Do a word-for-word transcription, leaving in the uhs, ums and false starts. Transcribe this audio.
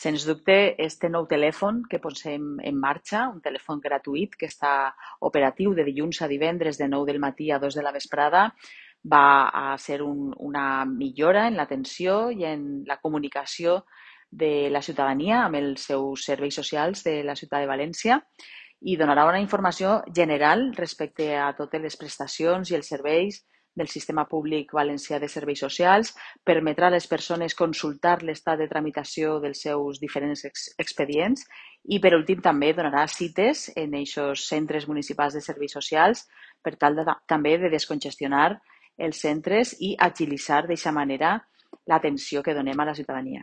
Sens dubte, este nou telèfon que posem en marxa, un telèfon gratuït que està operatiu de dilluns a divendres de nou del matí a dos de la vesprada, va a ser un, una millora en l'atenció i en la comunicació de la ciutadania amb els seus serveis socials de la ciutat de València i donarà una informació general respecte a totes les prestacions i els serveis del sistema públic valencià de serveis socials, permetrà a les persones consultar l'estat de tramitació dels seus diferents ex expedients i, per últim, també donarà cites en aquests centres municipals de serveis socials per tal de, també de descongestionar els centres i agilitzar d'aquesta manera l'atenció que donem a la ciutadania.